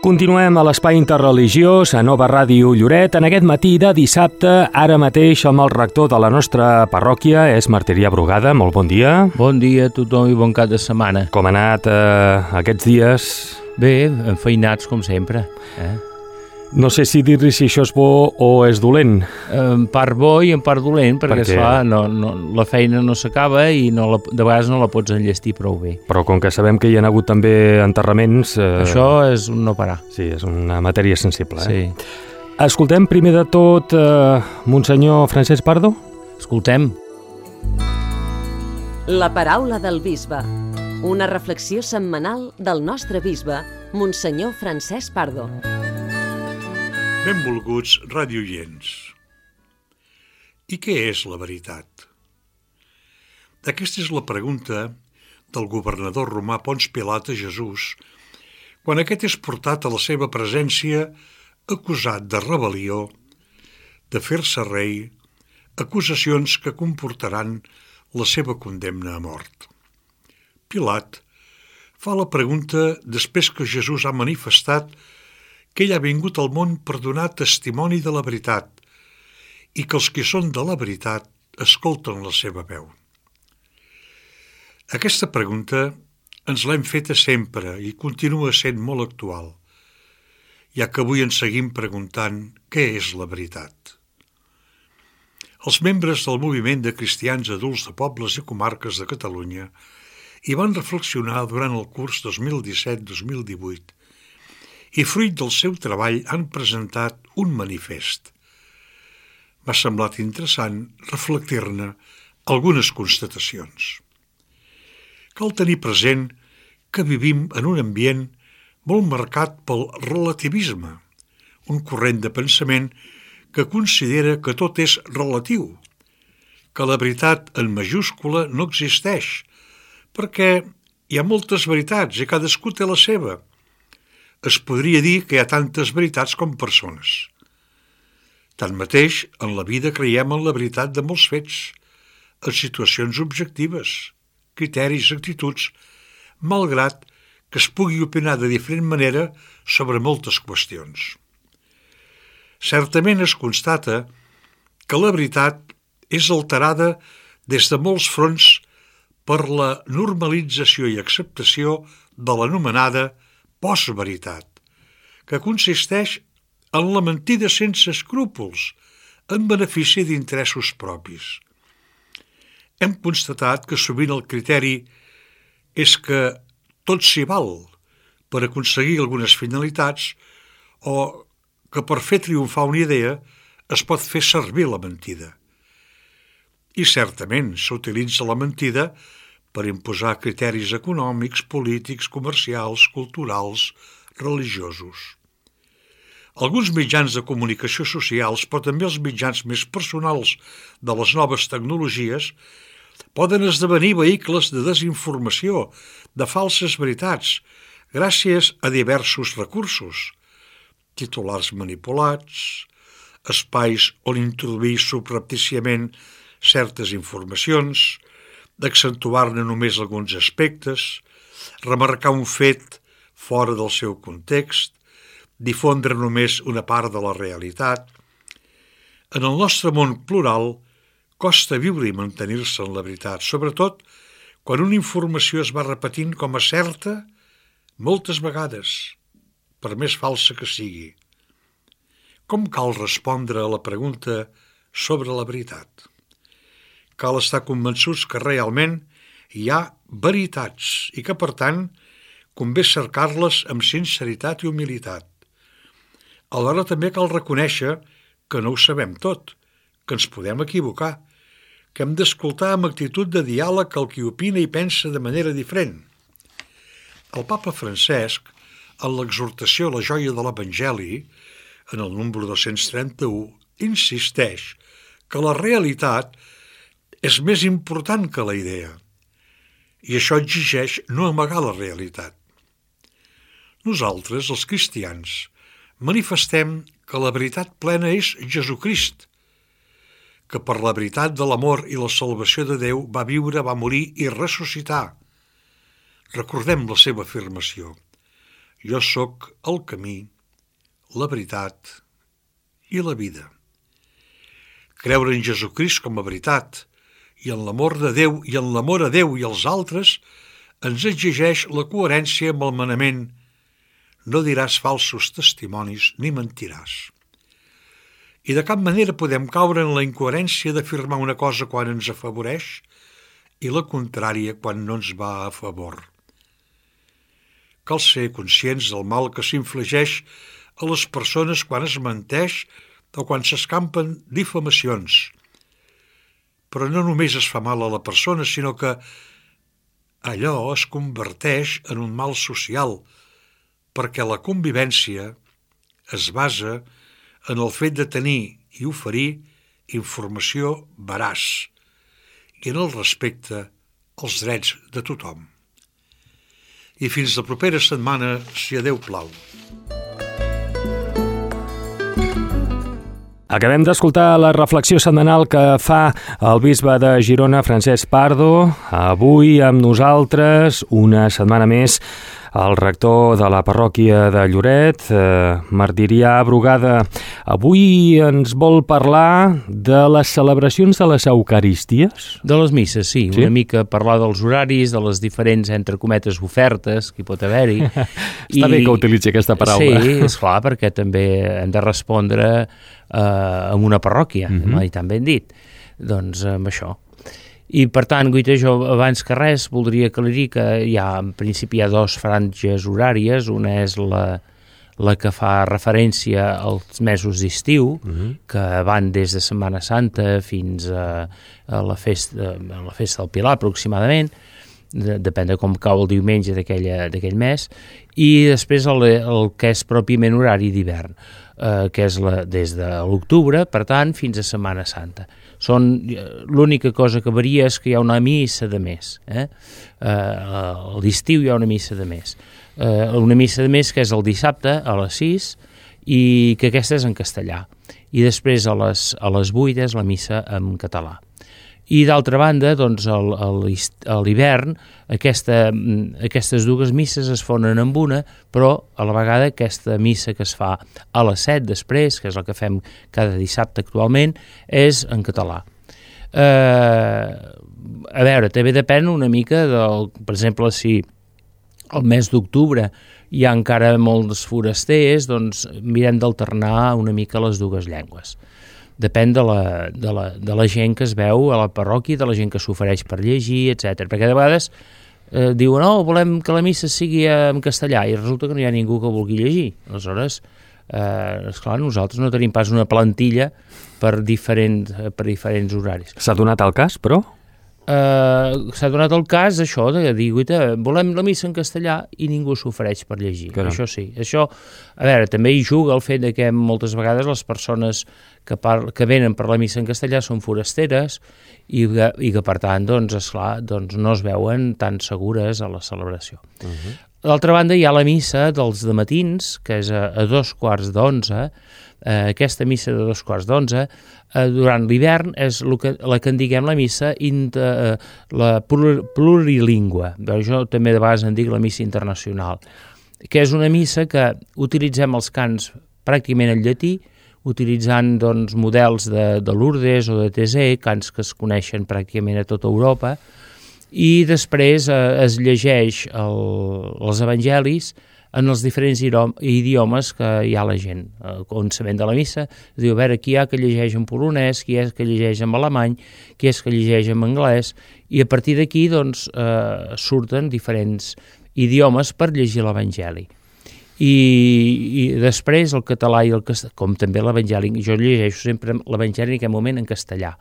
Continuem a l'Espai Interreligiós a Nova Ràdio Lloret. En aquest matí de dissabte, ara mateix amb el rector de la nostra parròquia, és Martirià Brugada. Molt bon dia. Bon dia a tothom i bon cap de setmana. Com ha anat aquests dies? Bé, enfeinats com sempre. No sé si dir-li si això és bo o és dolent. En part bo i en part dolent, perquè esclar, la feina no s'acaba i de vegades no la pots enllestir prou bé. Però com que sabem que hi ha hagut també enterraments... Això és un no parar. Sí, és una matèria sensible. Sí. Escoltem primer de tot Monsenyor Francesc Pardo. Escoltem. La paraula del bisbe. Una reflexió setmanal del nostre bisbe, Monsenyor Francesc Pardo. Benvolguts radioients. I què és la veritat? Aquesta és la pregunta del governador romà Ponç Pilat a Jesús quan aquest és portat a la seva presència acusat de rebel·lió, de fer-se rei, acusacions que comportaran la seva condemna a mort. Pilat fa la pregunta després que Jesús ha manifestat que ell ha vingut al món per donar testimoni de la veritat i que els que són de la veritat escolten la seva veu. Aquesta pregunta ens l'hem feta sempre i continua sent molt actual, ja que avui ens seguim preguntant què és la veritat. Els membres del moviment de cristians adults de pobles i comarques de Catalunya hi van reflexionar durant el curs 2017-2018 i fruit del seu treball han presentat un manifest. M'ha semblat interessant reflectir-ne algunes constatacions. Cal tenir present que vivim en un ambient molt marcat pel relativisme, un corrent de pensament que considera que tot és relatiu, que la veritat en majúscula no existeix, perquè hi ha moltes veritats i cadascú té la seva. Es podria dir que hi ha tantes veritats com persones. Tanmateix, en la vida creiem en la veritat de molts fets, en situacions objectives, criteris, actituds, malgrat que es pugui opinar de diferent manera sobre moltes qüestions. Certament es constata que la veritat és alterada des de molts fronts per la normalització i acceptació de l'anomenada postveritat, que consisteix en la mentida sense escrúpols, en benefici d'interessos propis. Hem constatat que sovint el criteri és que tot s'hi val per aconseguir algunes finalitats o que per fer triomfar una idea es pot fer servir la mentida. I certament s'utilitza la mentida per imposar criteris econòmics, polítics, comercials, culturals, religiosos. Alguns mitjans de comunicació socials, però també els mitjans més personals de les noves tecnologies, poden esdevenir vehicles de desinformació, de falses veritats, gràcies a diversos recursos, titulars manipulats, espais on introduir subreptíciament certes informacions, d'accentuar-ne només alguns aspectes, remarcar un fet fora del seu context, difondre només una part de la realitat. En el nostre món plural costa viure i mantenir-se en la veritat, sobretot quan una informació es va repetint com a certa moltes vegades, per més falsa que sigui. Com cal respondre a la pregunta sobre la veritat? Cal estar convençuts que realment hi ha veritats i que, per tant, convé cercar-les amb sinceritat i humilitat. Alhora també cal reconèixer que no ho sabem tot, que ens podem equivocar, que hem d'escoltar amb actitud de diàleg el qui opina i pensa de manera diferent. El papa Francesc, en l'exhortació a la joia de l'Evangeli, en el número 231, insisteix que la realitat és més important que la idea, i això exigeix no amagar la realitat. Nosaltres, els cristians, manifestem que la veritat plena és Jesucrist, que per la veritat de l'amor i la salvació de Déu va viure, va morir i ressuscitar. Recordem la seva afirmació: Jo sóc el camí, la veritat i la vida. Creure en Jesucrist com a veritat i en l'amor de Déu i en l'amor a Déu i als altres ens exigeix la coherència amb el manament no diràs falsos testimonis ni mentiràs. I de cap manera podem caure en la incoherència d'afirmar una cosa quan ens afavoreix i la contrària quan no ens va a favor. Cal ser conscients del mal que s'infligeix a les persones quan es menteix o quan s'escampen difamacions. Però no només es fa mal a la persona, sinó que allò es converteix en un mal social, perquè la convivència es basa en el fet de tenir i oferir informació veraç i en el respecte als drets de tothom. I fins la propera setmana, si a Déu plau. Acabem d'escoltar la reflexió setmanal que fa el bisbe de Girona, Francesc Pardo. Avui amb nosaltres, una setmana més, el rector de la parròquia de Lloret, Martirià Brugada. Avui ens vol parlar de les celebracions de les Eucaristies? De les misses, sí. Una mica parlar dels horaris, de les diferents, entre cometes, ofertes que hi pot haver-hi. Està bé que utilitzi aquesta paraula. Sí, esclar, perquè també hem de respondre amb una parròquia, i tan ben dit. Doncs amb això. I, per tant, Guita, jo abans que res voldria aclarir que en principi hi ha dues franges horàries. Una és la que fa referència als mesos d'estiu, que van des de Setmana Santa fins a la festa del Pilar, aproximadament, depèn de com cau el diumenge d'aquell mes, i després el que és pròpiament horari d'hivern, que és des de l'octubre, per tant, fins a Setmana Santa. L'única cosa que varia és que hi ha una missa de més. A l'estiu hi ha una missa de més. Una missa de més que és el dissabte a les 6 i que aquesta és en castellà. I després a les 8 és la missa en català. I d'altra banda, doncs, a l'hivern, aquestes dues misses es fonen amb una, però a la vegada aquesta missa que es fa a les 7 després, que és la que fem cada dissabte actualment, és en català. A veure, també depèn una mica per exemple, si al mes d'octubre hi ha encara molts forasters, doncs mirem d'alternar una mica les dues llengües. Depèn de la gent que es veu a la parròquia, de la gent que s'ofereix per llegir, etc. Perquè de vegades diuen, volem que la missa sigui en castellà, i resulta que no hi ha ningú que vulgui llegir. Aleshores, esclar, nosaltres no tenim pas una plantilla per diferents horaris. S'ha donat el cas, però? S'ha donat el cas això de dir, volem la missa en castellà i ningú s'ofereix per llegir. Caram. Això sí. Això, a veure, també hi juga el fet que moltes vegades les persones que venen per la missa en castellà són forasteres i que per tant, doncs, esclar, doncs no es veuen tan segures a la celebració. D'altra banda, hi ha la missa dels dematins, que és a 2:15. Aquesta missa de 2:15 durant l'hivern és la que en diguem la missa la plurilingüe. Jo també de vegades en dic la missa internacional, que és una missa que utilitzem els cants pràcticament en llatí, utilitzant doncs, models de Lourdes o de Thésée, cants que es coneixen pràcticament a tota Europa, i després es llegeix els evangelis en els diferents idiomes que hi ha la gent. El començament de la missa es diu, a veure, qui hi ha que llegeix en polonès, qui és que llegeix en alemany, qui és que llegeix en anglès, i a partir d'aquí doncs, surten diferents idiomes per llegir l'evangeli. I després el català i el castellà, com també l'evangeli, jo llegeixo sempre l'evangeli en aquest moment en castellà.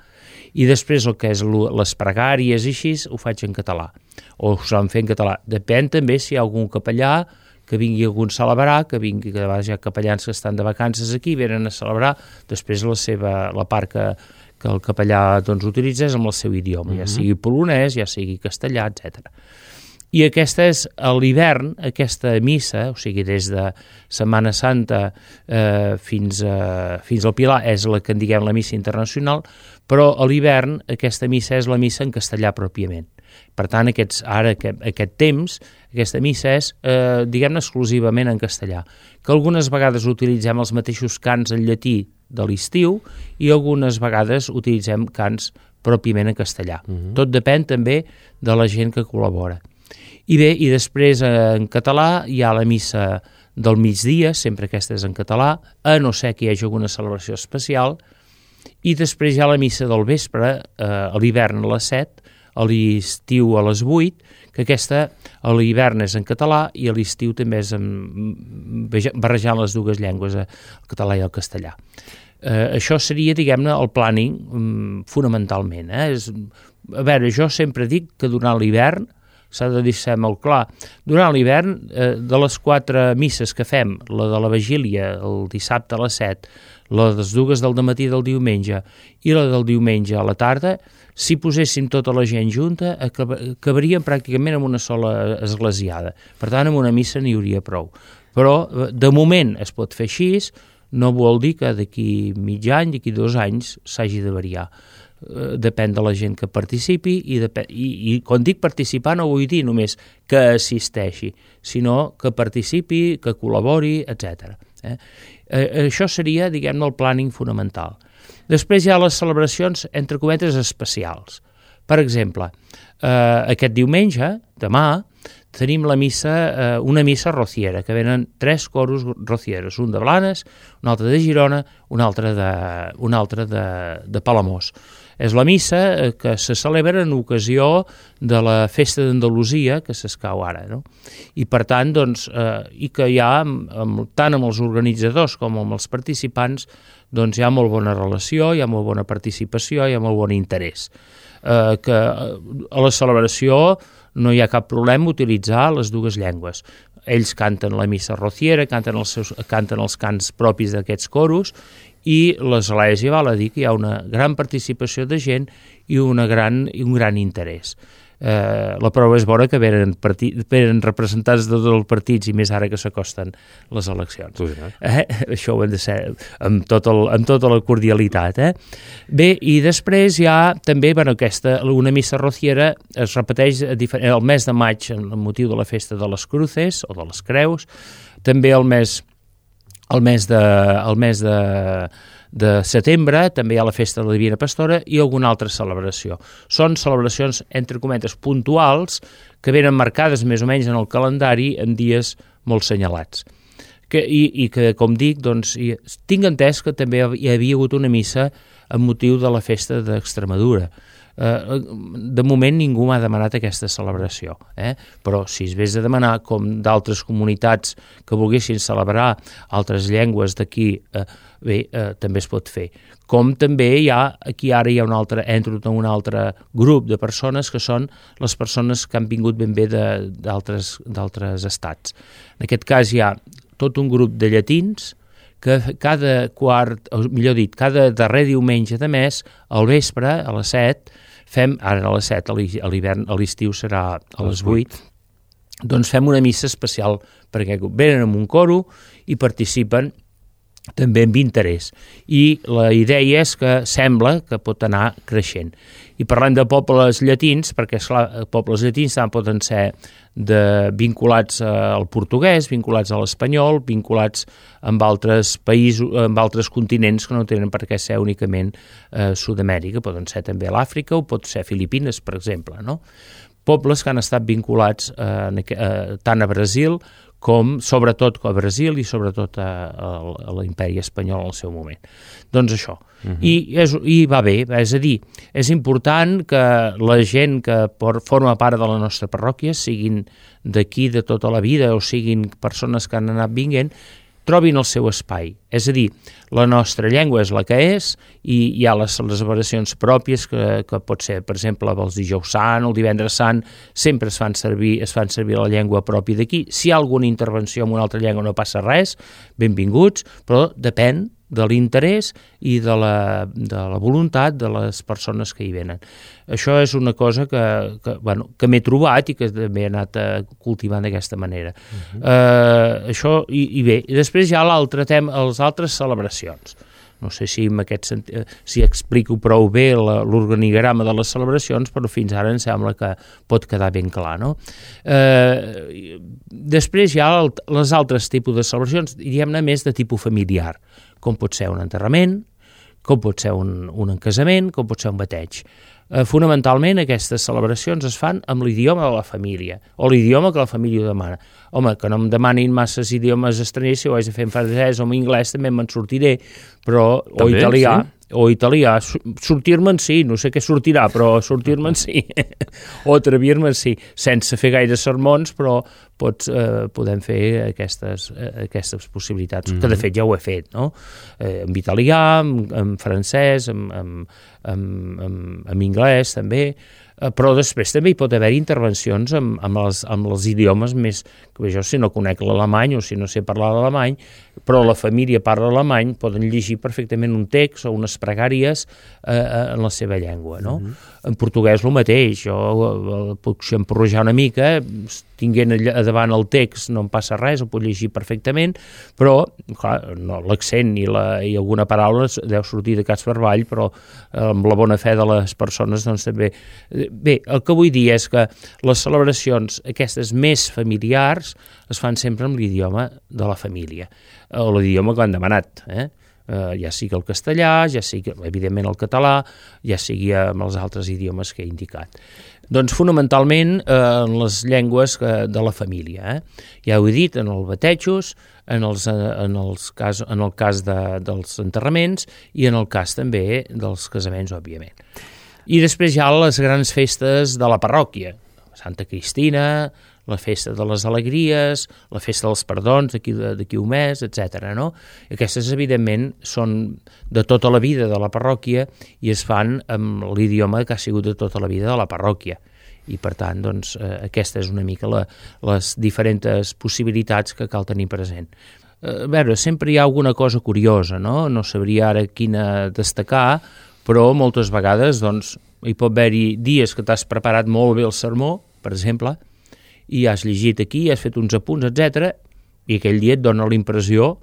I després el que és les pregàries i així ho faig en català, o ho saben fer en català. Depèn també si hi ha algun capellà que vingui algun celebrar, que vingui, que de vegades hi ha capellans que estan de vacances aquí, venen a celebrar, després la part que el capellà doncs, utilitza és amb el seu idioma, ja sigui polonès, ja sigui castellà, etc. I aquesta és a l'hivern, aquesta missa, o sigui, des de Setmana Santa fins al Pilar, és la que en diguem la missa internacional, però a l'hivern aquesta missa és la missa en castellà pròpiament. Per tant, aquest temps, aquesta missa és, diguem-ne, exclusivament en castellà, que algunes vegades utilitzem els mateixos cants en llatí de l'estiu i algunes vegades utilitzem cants pròpiament en castellà. Tot depèn també de la gent que col·labora. I bé, i després en català hi ha la missa del migdia, sempre aquesta és en català, a no ser que hi hagi alguna celebració especial, i després hi ha la missa del vespre, a l'hivern a les 7, a l'estiu a les 8, que aquesta a l'hivern és en català i a l'estiu també és barrejant les dues llengües, el català i el castellà. Això seria, diguem-ne, el planning fonamentalment. A veure, jo sempre dic que durant l'hivern s'ha de deixar molt clar. Durant l'hivern, de les 4 misses que fem, la de la vigília el dissabte a les 7, la de les dues del dematí del diumenge i la del diumenge a la tarda, si poséssim tota la gent junta, acabaríem pràcticament amb una sola esglésiada. Per tant, amb una missa n'hi hauria prou. Però, de moment, es pot fer així, no vol dir que d'aquí mig any, d'aquí 2 anys, s'hagi de variar. Depèn de la gent que participi i quan dic participar no vull dir només que assisteixi, sinó que participi, que col·labori, etc. Això seria, diguem-ne, el planning fonamental. Després hi ha les celebracions, entre cometes, especials. Per exemple, aquest diumenge, demà, tenim una missa rociera, que venen 3 coros rocieros, un de Blanes, un altre de Girona, un altre de Palamós. És la missa que se celebra en ocasió de la festa d'Andalusia, que s'escau ara, no? I per tant, doncs, i que hi ha, tant amb els organitzadors com amb els participants, doncs hi ha molt bona relació, hi ha molt bona participació, hi ha molt bon interès. Que a la celebració no hi ha cap problema utilitzar les dues llengües. Ells canten la missa rociera, canten els cants propis d'aquests coros, i l'església val a dir que hi ha una gran participació de gent i un gran interès. La prova és bona que venen representats de tots els partits i més ara que s'acosten les eleccions. Això ho hem de ser amb tota la cordialitat. Bé, i després hi ha també una missa rociera, es repeteix el mes de maig amb el motiu de la festa de les Cruces o de les Creus, també el mes de setembre també hi ha la festa de la Divina Pastora i alguna altra celebració. Són celebracions, entre cometes, puntuals, que venen marcades més o menys en el calendari en dies molt senyalats. I que, com dic, doncs, tinc entès que també hi havia hagut una missa amb motiu de la festa d'Extremadura. De moment ningú m'ha demanat aquesta celebració, però si es vés a demanar, com d'altres comunitats que volguessin celebrar altres llengües d'aquí, també es pot fer. Com també aquí ara hi ha un altre grup de persones que són les persones que han vingut ben bé d'altres estats. En aquest cas hi ha tot un grup de llatins que cada darrer diumenge de mes, al vespre, a les 7, ara a les 7, a l'hivern, a l'estiu serà a les 8, doncs fem una missa especial, perquè venen amb un coro i participen també amb interès. I la idea és que sembla que pot anar creixent. I parlem de pobles llatins, perquè esclar, pobles llatins també poden ser vinculats al portuguès, vinculats a l'espanyol, vinculats amb altres països, amb altres continents que no tenen per què ser únicament Sud-amèrica, poden ser també l'Àfrica o pot ser Filipines, per exemple, no? Pobles que han estat vinculats tant a Brasil com sobretot a Brasil i sobretot a l'imperi espanyol en el seu moment. Doncs això. I va bé, és a dir, és important que la gent que forma part de la nostra parròquia, siguin d'aquí de tota la vida o siguin persones que han anat vinguent, trobin el seu espai. És a dir, la nostra llengua és la que és i hi ha les celebracions pròpies que pot ser, per exemple, els dijous sant, el divendres sant, sempre es fan servir la llengua pròpia d'aquí. Si hi ha alguna intervenció en una altra llengua no passa res, benvinguts, però depèn de l'interès i de la voluntat de les persones que hi venen. Això és una cosa que m'he trobat i que també he anat cultivant d'aquesta manera. Això, i bé, i després hi ha l'altre tema, les altres celebracions. No sé si si explico prou bé l'organigrama de les celebracions, però fins ara em sembla que pot quedar ben clar, no? Després hi ha les altres tipus de celebracions, diguem-ne més de tipus familiar, com pot ser un enterrament, com pot ser un casament, com pot ser un bateig. Fonamentalment aquestes celebracions es fan amb l'idioma de la família, o l'idioma que la família ho demana. Home, que no em demanin masses idiomes estrangers, si ho haig de fer en francès o en anglès també me'n sortiré, però també, o italià, sortir-me'n sí, no sé què sortirà, però sortir-me'n sí, o atrevir-me'n sí, sense fer gaire sermons, però podem fer aquestes possibilitats, que de fet ja ho he fet, no? En italià, en francès, en anglès també, però després també hi pot haver intervencions amb els idiomes més, que jo si no conec l'alemany o si no sé parlar l'alemany, però la família parla alemany, poden llegir perfectament un text o unes pregàries en la seva llengua, no? En portuguès el mateix, jo puc xamporrejar una mica, tinguent a davant el text no em passa res, ho puc llegir perfectament, però clar, no, l'accent i alguna paraula deu sortir de cas per avall, però amb la bona fe de les persones doncs també... Bé, el que vull dir és que les celebracions aquestes més familiars es fan sempre amb l'idioma de la família, o l'idioma que han demanat, ja sigui el castellà, ja sigui evidentment el català, ja sigui amb els altres idiomes que he indicat. Doncs fonamentalment en les llengües de la família. Ja ho he dit, en els batejos, en el cas dels enterraments i en el cas també dels casaments, òbviament. I després hi ha les grans festes de la parròquia, Santa Cristina, la festa de les alegries, la festa dels perdons d'aquí un mes, etc. No? Aquestes, evidentment, són de tota la vida de la parròquia i es fan amb l'idioma que ha sigut de tota la vida de la parròquia. I, per tant, doncs, aquesta és una mica les diferents possibilitats que cal tenir present. A veure, sempre hi ha alguna cosa curiosa, no? No sabria ara quina destacar, però moltes vegades doncs, hi pot haver-hi dies que t'has preparat molt bé el sermó, per exemple, i has llegit aquí, has fet uns apunts, etc. I aquell dia et dona la impressió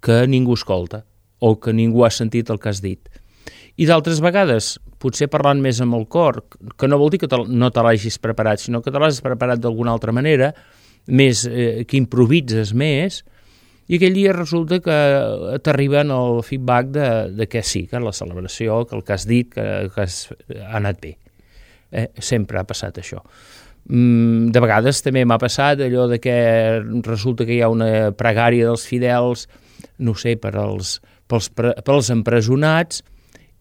que ningú escolta o que ningú ha sentit el que has dit. I d'altres vegades, potser parlant més amb el cor, que no vol dir que no te l'hagis preparat, sinó que te l'has preparat d'alguna altra manera, més que improvises més, i aquell dia resulta que t'arriben el feedback de que sí, que la celebració, que el que has dit, que ha anat bé. Sempre ha passat això. De vegades també m'ha passat allò de que resulta que hi ha una pregària dels fidels, no sé, pels empresonats,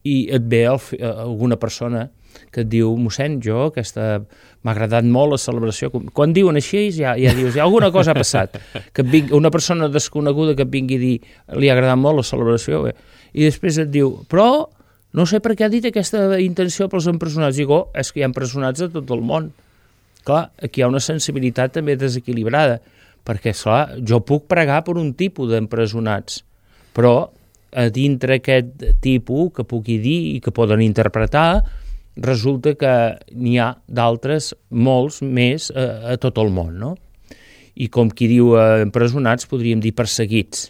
i et ve alguna persona que et diu, mossèn, m'ha agradat molt la celebració. Quan diuen així ja dius, alguna cosa ha passat. Que una persona desconeguda que et vingui a dir, li ha agradat molt la celebració, i després et diu, però no sé per què ha dit aquesta intenció pels empresonats. Digo, és que hi ha empresonats de tot el món. Clar, aquí hi ha una sensibilitat també desequilibrada, perquè, clar, jo puc pregar per un tipus d'empresonats, però a dintre aquest tipus que pugui dir i que poden interpretar, resulta que n'hi ha d'altres, molts més, a tot el món, no? I com qui diu empresonats, podríem dir perseguits.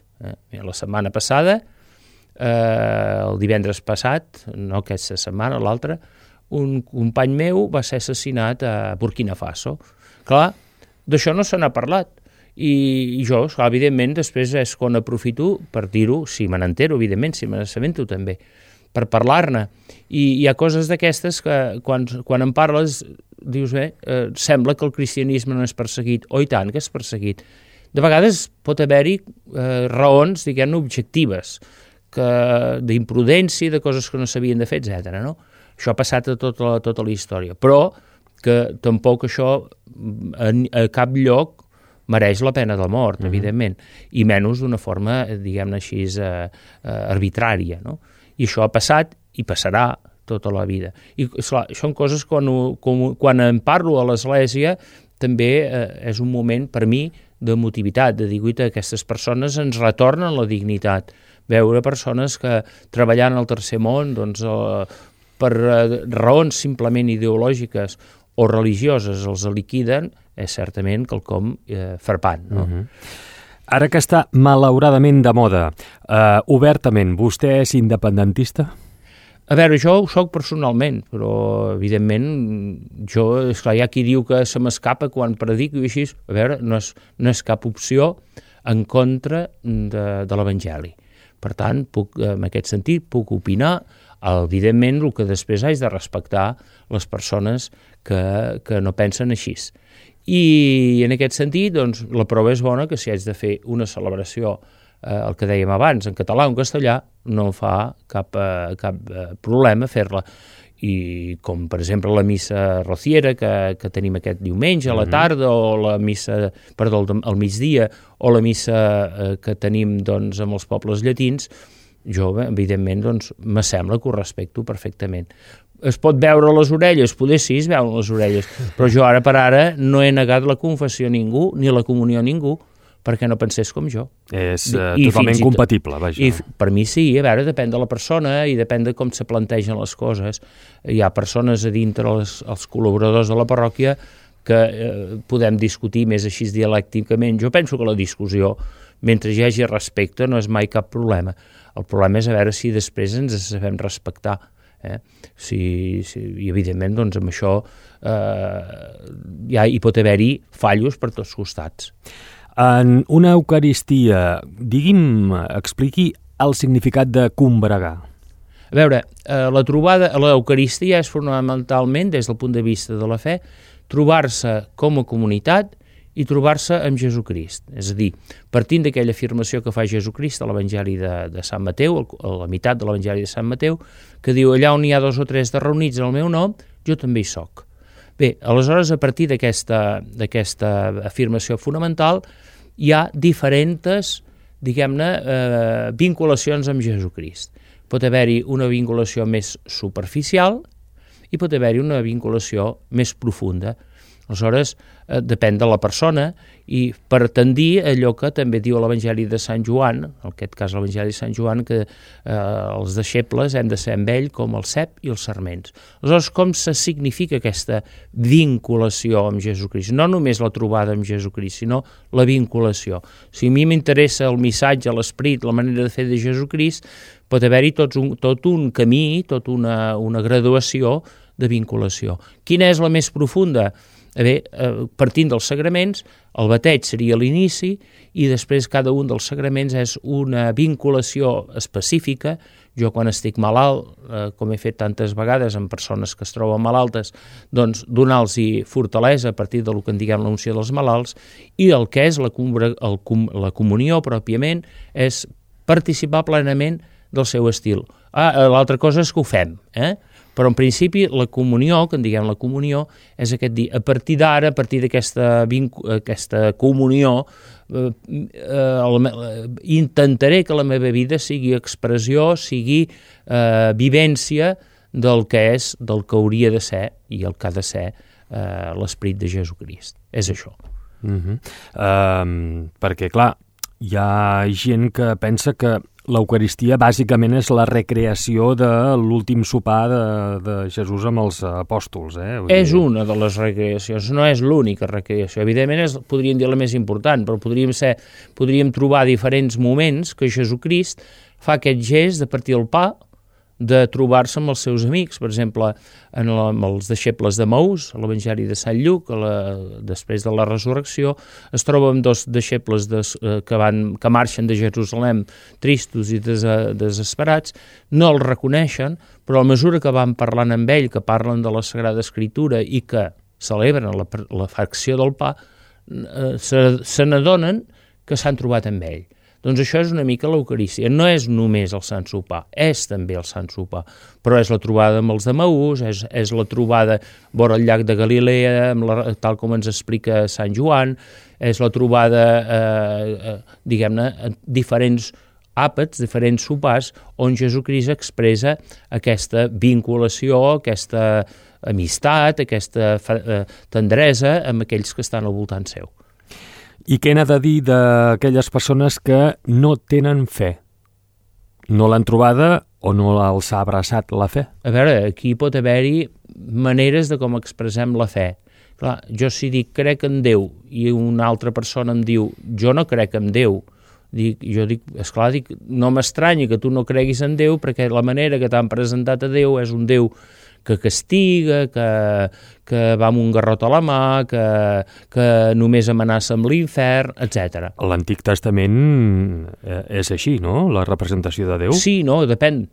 La setmana passada, el divendres passat, no aquesta setmana, l'altra, un company meu va ser assassinat a Burkina Faso. Clar, d'això no se n'ha parlat. I jo, evidentment, després és quan aprofito per dir-ho, si me n'entero, evidentment, si me n'assabento també, per parlar-ne. I hi ha coses d'aquestes que quan en parles dius, sembla que el cristianisme no és perseguit, o i tant que és perseguit. De vegades pot haver-hi raons, diguem-ne, objectives, d'imprudència, de coses que no s'havien de fer, etc. No? Això ha passat a tota la història, però que tampoc això a cap lloc mereix la pena de mort, evidentment, i menys d'una forma, diguem-ne així, arbitrària, no? I això ha passat i passarà tota la vida. I clar, són coses quan en parlo a l'Església també és un moment per mi d'emotivitat, de dir, aquestes persones ens retornen la dignitat. Veure persones que treballant al tercer món, doncs, per raons simplement ideològiques o religioses els liquiden, és certament quelcom frapant. No? Ara que està malauradament de moda, obertament, vostè és independentista? A veure, jo ho soc personalment, però evidentment esclar, hi ha qui diu que se m'escapa quan predico i així, a veure, no és cap opció en contra de l'Evangeli. Per tant, en aquest sentit, puc opinar, evidentment el que després haig de respectar les persones que no pensen així. I en aquest sentit, doncs, la prova és bona que si haig de fer una celebració, el que dèiem abans, en català o en castellà, no em fa cap problema fer-la. I com, per exemple, la missa rociera que tenim aquest diumenge a la tarda, o la missa, al migdia, o la missa que tenim doncs, amb els pobles llatins, jo, evidentment, doncs, m'assembla que ho respecto perfectament. Es pot veure les orelles? Poder sí, es veuen les orelles, però jo ara per ara no he negat la confessió a ningú, ni la comunió a ningú, perquè no pensés com jo. És totalment compatible, vaja. I per mi sí, a veure, depèn de la persona i depèn de com se plantegen les coses. Hi ha persones a dintre els col·laboradors de la parròquia que podem discutir més així dialècticament. Jo penso que la discussió, mentre hi hagi respecte, no és mai cap problema. El problema és a veure si després ens sabem respectar. I evidentment doncs, amb això hi pot haver-hi fallos per tots costats. En una Eucaristia, expliqui el significat de combregar. A veure, la trobada a l'Eucaristia és fonamentalment, des del punt de vista de la fe, trobar-se com a comunitat i trobar-se amb Jesucrist. És a dir, partint d'aquella afirmació que fa Jesucrist a l'Evangeli de Sant Mateu, a la meitat de l'Evangeli de Sant Mateu, que diu, allà on hi ha 2 o 3 de reunits en el meu nom, jo també hi soc. Bé, aleshores, a partir d'aquesta afirmació fonamental, hi ha diferents, diguem-ne, vinculacions amb Jesucrist. Pot haver-hi una vinculació més superficial i pot haver-hi una vinculació més profunda. Aleshores, depèn de la persona i per tendir allò que també diu l'Evangeli de Sant Joan, en aquest cas l'Evangeli de Sant Joan, que els deixebles hem de ser amb ell com el cep i els sarments. Aleshores, com se significa aquesta vinculació amb Jesucrist? No només la trobada amb Jesucrist, sinó la vinculació. Si a mi m'interessa el missatge, l'esperit, la manera de fer de Jesucrist, pot haver-hi tot un camí, tota una graduació de vinculació. Quina és la més profunda? Bé, partint dels sagraments, el bateig seria l'inici i després cada un dels sagraments és una vinculació específica. Jo quan estic malalt, com he fet tantes vegades amb persones que es troben malaltes, doncs donar-los fortalesa a partir del que en diguem l'unció dels malalts, i el que és la comunió pròpiament és participar plenament del seu estil. L'altra cosa és que ho fem, però en principi la comunió, que en diguem la comunió, és aquest dir, a partir d'ara, a partir d'aquesta comunió, intentaré que la meva vida sigui expressió, sigui vivència del que és, del que hauria de ser i el que ha de ser l'esperit de Jesucrist. És això. Perquè, clar, hi ha gent que pensa que l'Eucaristia bàsicament és la recreació de l'últim sopar de Jesús amb els apòstols. És una de les recreacions, no és l'única recreació. Evidentment podríem dir la més important, però podríem trobar diferents moments que Jesucrist fa aquest gest de partir el pa, de trobar-se amb els seus amics, per exemple, amb els deixebles de Maús, a l'Evangeli de Sant Lluc, després de la resurrecció, es troba amb 2 deixebles que marxen de Jerusalem tristos i desesperats, no els reconeixen, però a mesura que van parlant amb ell, que parlen de la Sagrada Escritura i que celebren la fracció del pa, se n'adonen que s'han trobat amb ell. Doncs això és una mica l'Eucarístia. No és només el Sant Sopar, és també el Sant Sopar, però és la trobada amb els de Maús, és la trobada vora el llac de Galilea, tal com ens explica Sant Joan, és la trobada, diguem-ne, diferents àpats, diferents sopars, on Jesucrist expressa aquesta vinculació, aquesta amistat, aquesta tendresa amb aquells que estan al voltant seu. I què n'ha de dir d'aquelles persones que no tenen fe? No l'han trobada o no els ha abraçat la fe? A veure, aquí pot haver-hi maneres de com expressem la fe. Clar, jo si dic crec en Déu i una altra persona em diu jo no crec en Déu, jo dic, esclar, no m'estranyi que tu no creguis en Déu perquè la manera que t'han presentat a Déu és un Déu que castiga, que va amb un garrot a la mà, que només amenaça amb l'infern, etc. L'Antic Testament és així, no?, la representació de Déu? Sí, no, depèn,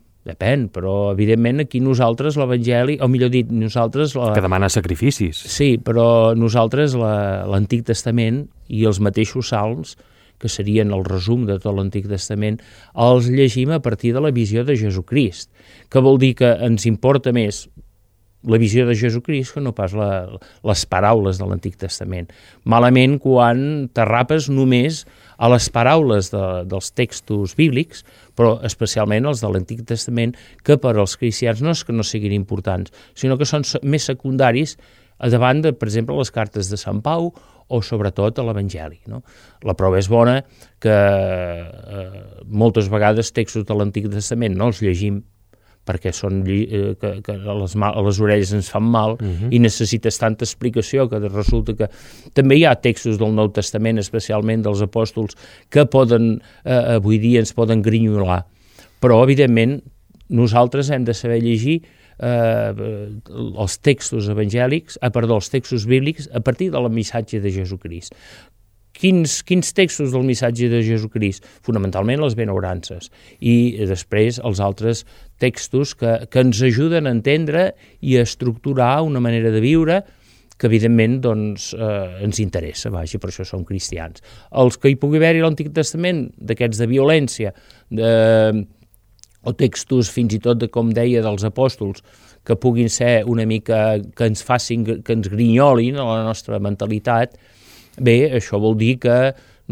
però evidentment aquí nosaltres l'Evangeli, o millor dit, nosaltres... Que demana sacrificis. Sí, però nosaltres l'Antic Testament i els mateixos salms, que serien el resum de tot l'Antic Testament, els llegim a partir de la visió de Jesucrist, que vol dir que ens importa més la visió de Jesucrist que no pas les paraules de l'Antic Testament. Malament quan t'arrapes només a les paraules dels textos bíblics, però especialment els de l'Antic Testament, que per als cristians no és que no siguin importants, sinó que són més secundaris davant de, per exemple, les cartes de Sant Pau o sobretot a l'Evangeli. No? La prova és bona que moltes vegades textos de l'Antic Testament no els llegim perquè són que les orelles ens fan mal i necessites tanta explicació que resulta que també hi ha textos del Nou Testament, especialment dels apòstols, que avui dia ens poden grinyolar. Però, evidentment, nosaltres hem de saber llegir els textos evangèlics, els textos bíblics a partir del missatge de Jesucrist. Quins textos del missatge de Jesucrist? Fonamentalment les benaurances i després els altres textos que ens ajuden a entendre i a estructurar una manera de viure que evidentment doncs, ens interessa, vaja, per això som cristians. Els que hi pugui haver-hi a l'Antic Testament, d'aquests de violència, o textos fins i tot, com deia, dels apòstols, que puguin ser una mica, que ens facin, que ens grinyolin a la nostra mentalitat, bé, això vol dir que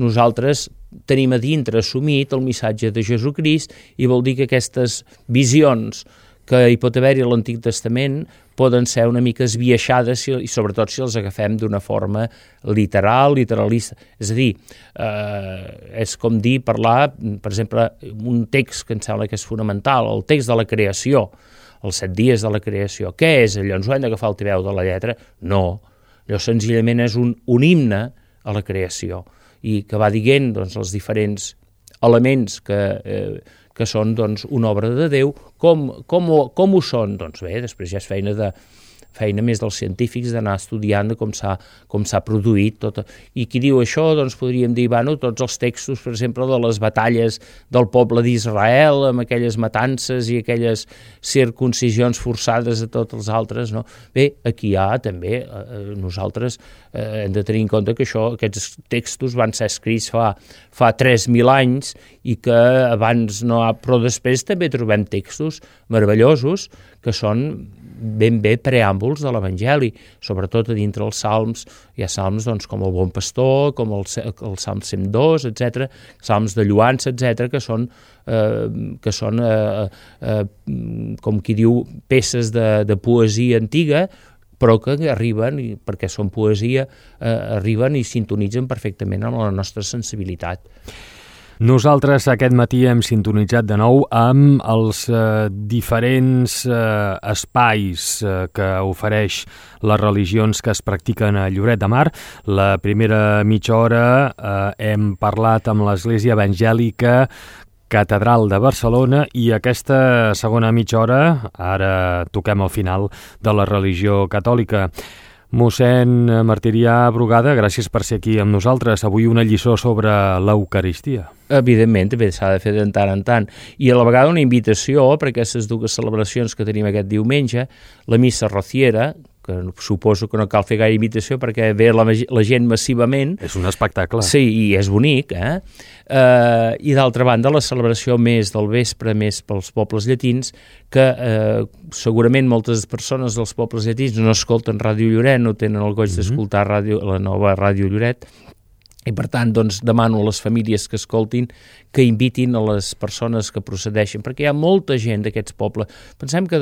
nosaltres tenim a dintre assumit el missatge de Jesucrist i vol dir que aquestes visions que hi pot haver-hi a l'Antic Testament poden ser una mica esbiaixades i sobretot si els agafem d'una forma literalista. És a dir, és com dir, parlar, per exemple, un text que em sembla que és fonamental, el text de la creació, els 7 dies de la creació. Què és allò? Ens ho hem d'agafar al peu de la lletra? No. Allò senzillament és un himne a la creació i que va dient doncs, els diferents elements que són doncs, una obra de Déu. Com ho són? Doncs bé, després ja és feina més dels científics d'anar estudiant com s'ha produït tot. I qui diu això, doncs podríem dir, tots els textos, per exemple, de les batalles del poble d'Israel, amb aquelles matances i aquelles circuncisions forçades a tots els altres, no? Bé, aquí hi ha també, nosaltres hem de tenir en compte que aquests textos van ser escrits fa 3.000 anys i que abans no, però després també trobem textos meravellosos que són ben bé preàmbuls de l'Evangeli, sobretot a dintre els salms. Hi ha salms doncs, com el Bon Pastor, com el Salm 102, etc., salms de lluança, etc., que són com qui diu, peces de poesia antiga, però que arriben, perquè són poesia, arriben i sintonitzen perfectament amb la nostra sensibilitat. Nosaltres aquest matí hem sintonitzat de nou amb els diferents espais que ofereix les religions que es practiquen a Lloret de Mar. La primera mitja hora hem parlat amb l'Església Evangèlica Catedral de Barcelona i aquesta segona mitja hora, ara toquem al final de la religió catòlica. Mossèn Martirià Brugada, gràcies per ser aquí amb nosaltres. Avui una lliçó sobre l'Eucaristia. Evidentment, també s'ha de fer de tant en tant. I a la vegada una invitació per aquestes dues celebracions que tenim aquest diumenge, la missa rociera, que suposo que no cal fer gaire invitació perquè ve la gent massivament. És un espectacle. Sí, i és bonic, I d'altra banda, la celebració més del vespre, més pels pobles llatins, que segurament moltes persones dels pobles llatins no escolten Ràdio Lloret, no tenen el goig d'escoltar la nova Ràdio Lloret, i per tant doncs, demano a les famílies que escoltin que invitin a les persones que procedeixen, perquè hi ha molta gent d'aquests pobles. Pensem que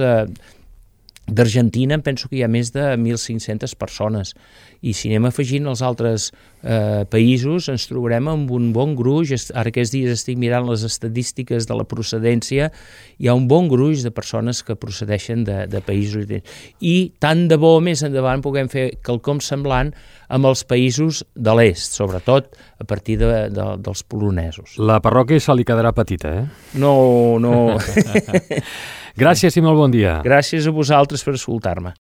D'Argentina em penso que hi ha més de 1.500 persones, i si anem afegint els altres països ens trobarem amb un bon gruix. Ara aquests dies estic mirant les estadístiques de la procedència, hi ha un bon gruix de persones que procedeixen de països, i tant de bo més endavant puguem fer quelcom semblant amb els països de l'est, sobretot a partir dels polonesos. La parròquia se li quedarà petita, eh? No. Gràcies i molt bon dia. Gràcies a vosaltres per escoltar-me.